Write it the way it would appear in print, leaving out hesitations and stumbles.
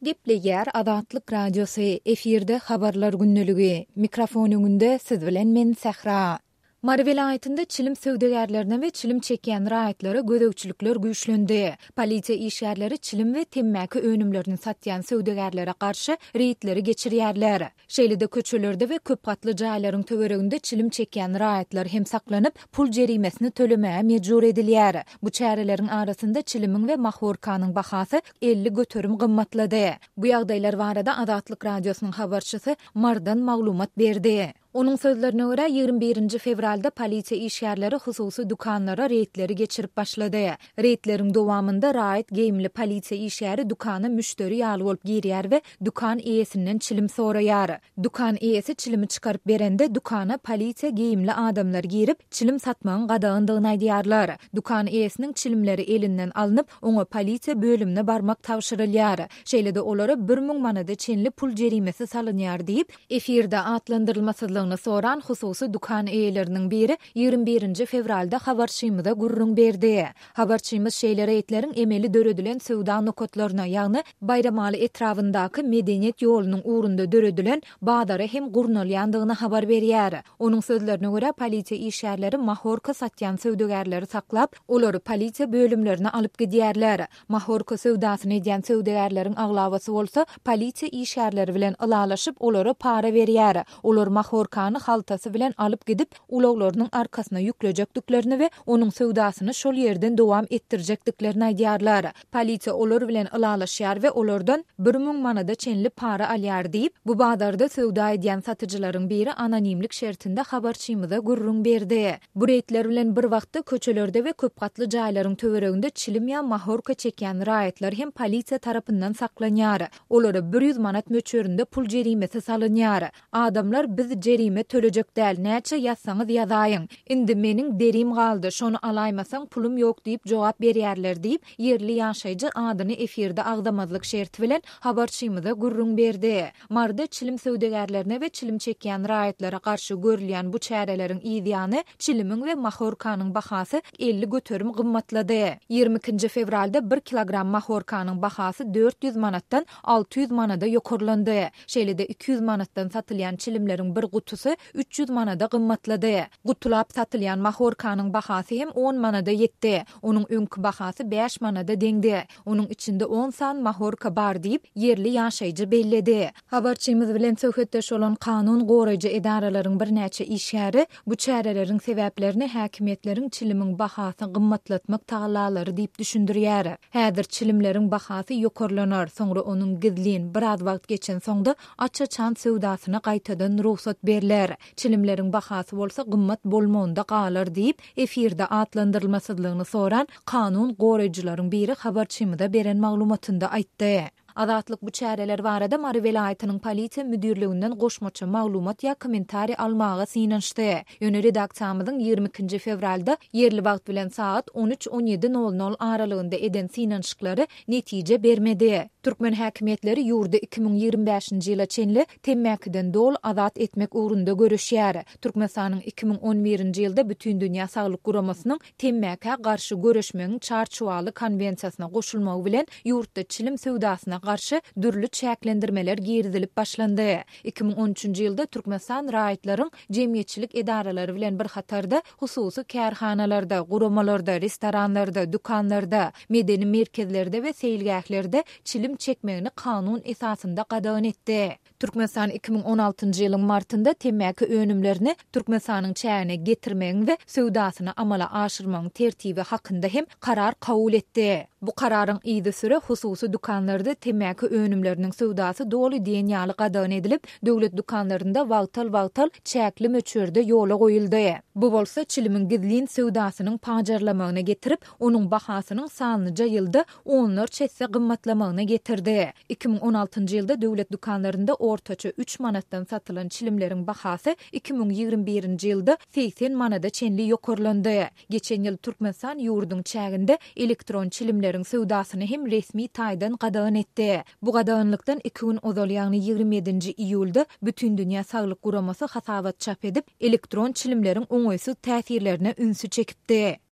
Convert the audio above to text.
Gepleýär Azatlyk Radiosy, efirde Habarlar gündeligi. Mikrofon öňünde siz bilen men Sähra. Mary welaýatynda çilim söwdagärlerine we çilim çekýän raýatlara gözegçilikler güýçlendi. Polisiýa işgärleri çilim we temmäki önümlerini satýan söwdagärlere garşy reýdleri geçirýärler. Şeýle-de köçelerde we köp gatly jaýlaryň töwereginde çilim çekýän raýatlar hem saklanyp, pul jerimesini tölemäge mejbur edilýär. Bu çäreleriň arasynda çilimiň we mahorkanyň bahasy 50% gymmatlady. Bu ýagdaýlar barada Azatlyk Radiosynyň habarçysy Marydan maglumat berdi. Onuň sözlerine görä, 21-nji fewralda polisiýa işgärleri hususy dükanlara reýdleri geçirip başlady. Reýdleriň dowamynda raýat geýimli polisiýa işgäri dükana müşderi ýaly bolup girýär we dükan eýesinden çilim soraýar. Dükan eýesi çilimi çykaryp berende, dükana polisiýa geýimli adamlar girip, çilim satmagyň gadagandygyny aýdýarlar. Dükan eýesiniň çilimleri elinden alnyp, oňa polisiýa bölümine barmak tabşyrylýar. Şeýle-de olara 1000 manada çenli pul jerimesi salynýar diýip, Efirde atlandyrylmasyzlygyny soran hususy dükan eýeleriniň biri 21-nji fewralda habarçymyza gürrüň berdi. Habarçymyz şeýle reýdleriň emeli döredilen söwda nokatlaryna, ýagny Baýramaly etrabyndaky Medeniýet ýolunyň ugrunda döredilen bazara hem gurnalýandygyny habar berýär. Onuň sözlerine görä, polisiýa işgärleri mahorka satýan söwdagärleri saklap, olary polisiýa bölümlerine alyp gidýärler. Mahorka söwdasyny edýän söwdagärleriň aglabasy bolsa polisiýa işgärleri bilen ylalaşyp, olara para berýär. Olar mahorkany haltasy bilen alyp gidip, ulaglarynyň arkasyna ýüklejekdiklerini we onuň söwdasyny şol ýerden dowam etdirjekdiklerini aýdýarlar. Polisiýa olar bilen ylalaşýar we olardan 1000 manada çenli para alýar diýip, bu bazarda söwda edýän satyjylaryň biri anonimlik şertinde habarçymyza gürrüň berdi. Bu reýdler bilen bir wagtda köçelerde we köp gatly jaýlaryň töwereginde çilim ýa mahorka çekýän raýatlar hem polisiýa tarapyndan saklanýar. Olara 100 manat möçberinde pul jerimesi salynýar. Adamlar biz jerime tölejek däl, näçe ýazsaňyz ýazaýyň. Indi meniň derim galdy, şony alaýmasaň pulum ýok diýip jogap berýärler diýip, ýerli ýaşaýjy adyny efirde agzamazlyk şerti bilen habarçymyza gürrüň berdi. Maryda çilim söwdagärlerine we çilim çekýän raýatlara garşy görülýän bu çäreleriň yz ýany, çilimiň we mahorkanyň bahasy 50% gymmatlady. 22-nji fewralda bir kilogram mahorkanyň bahasy 400 manatdan 600 manada ýokarlandy. Şeýle-de 200 manatdan satylýan çilimleriň bir gutusy 300 manada gymmatlady. Gutulap satylýan mahorkanyň bahasy hem on manada ýetdi. Onuň öňki bahasy bäş manada deňdi. Onuň içinde on san mahorka bar diýip, ýerli ýaşaýjy belledi. Habarçymyz bilen söhbetdeş bolan kanun goraýjy edaralaryň birnäçe işgäri bu çäreleriň sebäplerini häkimiýetleriň çilimiň bahasyny gymmatlatmak tagallalary diýip düşündirýär. Häzir çilimleriň bahasy ýokarlanar, soňra onuň gizlin, biraz wagt geçensoň-da aç-açan söwdasyna gaýtadan rugsat berler. Çilimleriň bahasy bolsa gymmat bolmagynda galar diýip, efirde atlandyrylmasyzlygyny soran kanun goraýjylaryň biri habarçymyza beren maglumatynda aýtdy. Azatlyk bu çäreler barada Mary welaýatynyň polisiýa müdirliginden goşmaça maglumat ýa kommentariý almaga synanyşdy. Ýöne redaksiýamyzyň 22-nji fewralda ýerli wagt bilen sagat on üç, on ýedi nol nol aralygynda eden synanyşyklary netije bermedi. Türkmen häkimiýetleri ýurdy 2025-nji ýyla çenli temmäkiden doly azat etmek ugrunda göreşýär. Türkmenistanyň 2011-nji ýylda Bütindünýä Saglyk Guramasynyň temmäkä garşy göreşmegiň Çarçuwaly konwensiýasyna goşulmagy bilen ýurtda çilim söwdasyna garşy dürli çäklendirmeler girizilip başlandy. 2013-nji ýylda Türkmenistan raýatlaryň jemgyýetçilik edaralary bilen bir hatarda hususy kärhanalarda, guramalarda, restoranlarda, dükanlarda, medeni merkezlerde we seýilgählerde çilim çekmegini kanun esasynda gadagan etdi. Türkmenistan 2016-njy ýylyň martynda temmäki önümlerini Türkmenistanyň çägine getirmegiň we söwdasyny amala aşyrmagyň tertibi hakynda hem karar kabul etdi. Bu kararyň yzysüre hususy dükanlarda temmäki önümleriniň söwdasy doly diýen ýaly gadagan edilip, döwlet dükanlarynda wagtal-wagtal çäkli möçberde ýola goýuldy. Bu bolsa çilimiň gizlin söwdasynyň pajarlamagyna getirip, onuň bahasynyň sanlyja ýylda onlarça esse gymmatlamagyna getirdi. 2016-njy ýylda döwlet dükanlarynda ortaça üç manatdan satylan çilimleriň bahasy 2021-nji ýylda 80 manada çenli ýokarlandy. Geçen ýyl Türkmenistan ýurduň çäginde elektron çilimleriň söwdasyny hem resmi taýdan gadagan etdi. Bu gadaganlykdan iki gün ozal, ýagny 27-nji iýulda Bütindünýä Saglyk Guramasy hasabat çap edip, elektron çilimleriň oňaýsyz täsirlerine ünsi çekipdi.